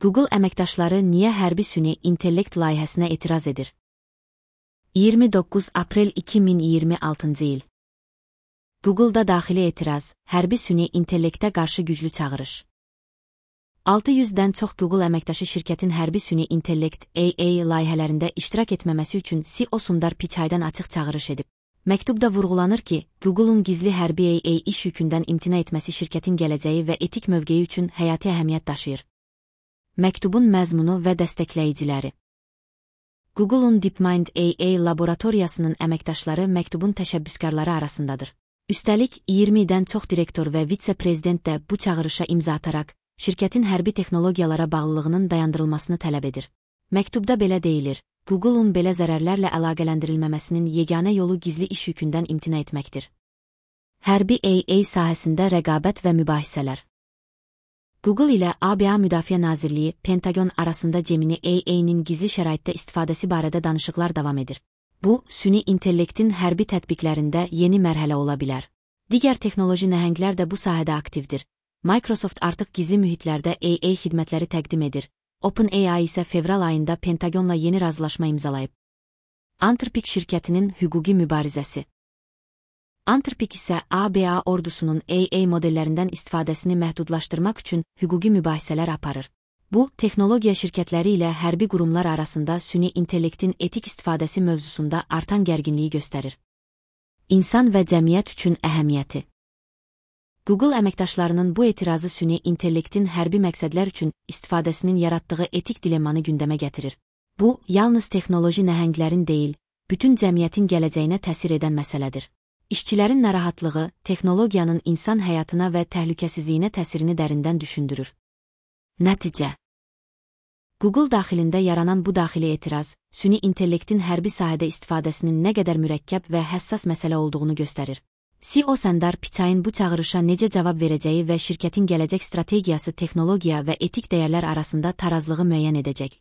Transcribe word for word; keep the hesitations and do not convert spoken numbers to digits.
Google əməkdaşları niyə hərbi süni intellekt layihəsinə etiraz edir? iyirmi doqquz aprel iki min iyirmi altıncı il. Google'da daxili etiraz, hərbi süni intellektə qarşı güclü çağırış. altı yüzdən çox Google əməkdaşı şirkətin hərbi süni intellekt A I layihələrində iştirak etməməsi üçün C E O Sundar Pichai'dan açıq çağırış edib. Məktubda vurğulanır ki, Google'un gizli hərbi A I iş yükündən imtina etməsi şirkətin gələcəyi və etik mövqeyi üçün həyati əhəmiyyət daşıyır. Məktubun məzmunu və dəstəkləyiciləri. Google'un DeepMind A I laboratoriyasının əməkdaşları məktubun təşəbbüskarları arasındadır. Üstəlik, iyirmidən çox direktor və vitse-prezident də bu çağırışa imza ataraq, şirkətin hərbi texnologiyalara bağlılığının dayandırılmasını tələb edir. Məktubda belə deyilir, Google'un belə zərərlərlə əlaqələndirilməməsinin yeganə yolu gizli iş yükündən imtina etməkdir. Hərbi A I sahəsində rəqabət və mübahisələr. Google ilə A B A Müdafiə Nazirliyi, Pentagon arasında Gemini A I-nin gizli şəraitdə istifadəsi barədə danışıqlar davam edir. Bu, süni intellektin hərbi tətbiqlərində yeni mərhələ ola bilər. Digər texnoloji nəhənglər də bu sahədə aktivdir. Microsoft artıq gizli mühitlərdə A I xidmətləri təqdim edir. OpenAI isə fevral ayında Pentagonla yeni razılaşma imzalayıb. Anthropic şirkətinin hüquqi mübarizəsi. Anthropic isə A B A ordusunun A I modellərindən istifadəsini məhdudlaşdırmaq üçün hüquqi mübahisələr aparır. Bu, texnologiya şirkətləri ilə hərbi qurumlar arasında süni intellektin etik istifadəsi mövzusunda artan gərginliyi göstərir. İnsan və cəmiyyət üçün əhəmiyyəti. Google əməkdaşlarının bu etirazı süni intellektin hərbi məqsədlər üçün istifadəsinin yaratdığı etik dilemmanı gündəmə gətirir. Bu, yalnız texnoloji nəhənglərin deyil, bütün cəmiyyətin gələcəyinə təsir edən məsələdir. İşçilərin narahatlığı, texnologiyanın insan həyatına və təhlükəsizliyinə təsirini dərindən düşündürür. Nəticə. Google daxilində yaranan bu daxili etiraz, süni intellektin hərbi sahədə istifadəsinin nə qədər mürəkkəb və həssas məsələ olduğunu göstərir. C E O Sundar Pichai'nin bu çağırışa necə cavab verəcəyi və şirkətin gələcək strategiyası texnologiya və etik dəyərlər arasında tarazlığı müəyyən edəcək.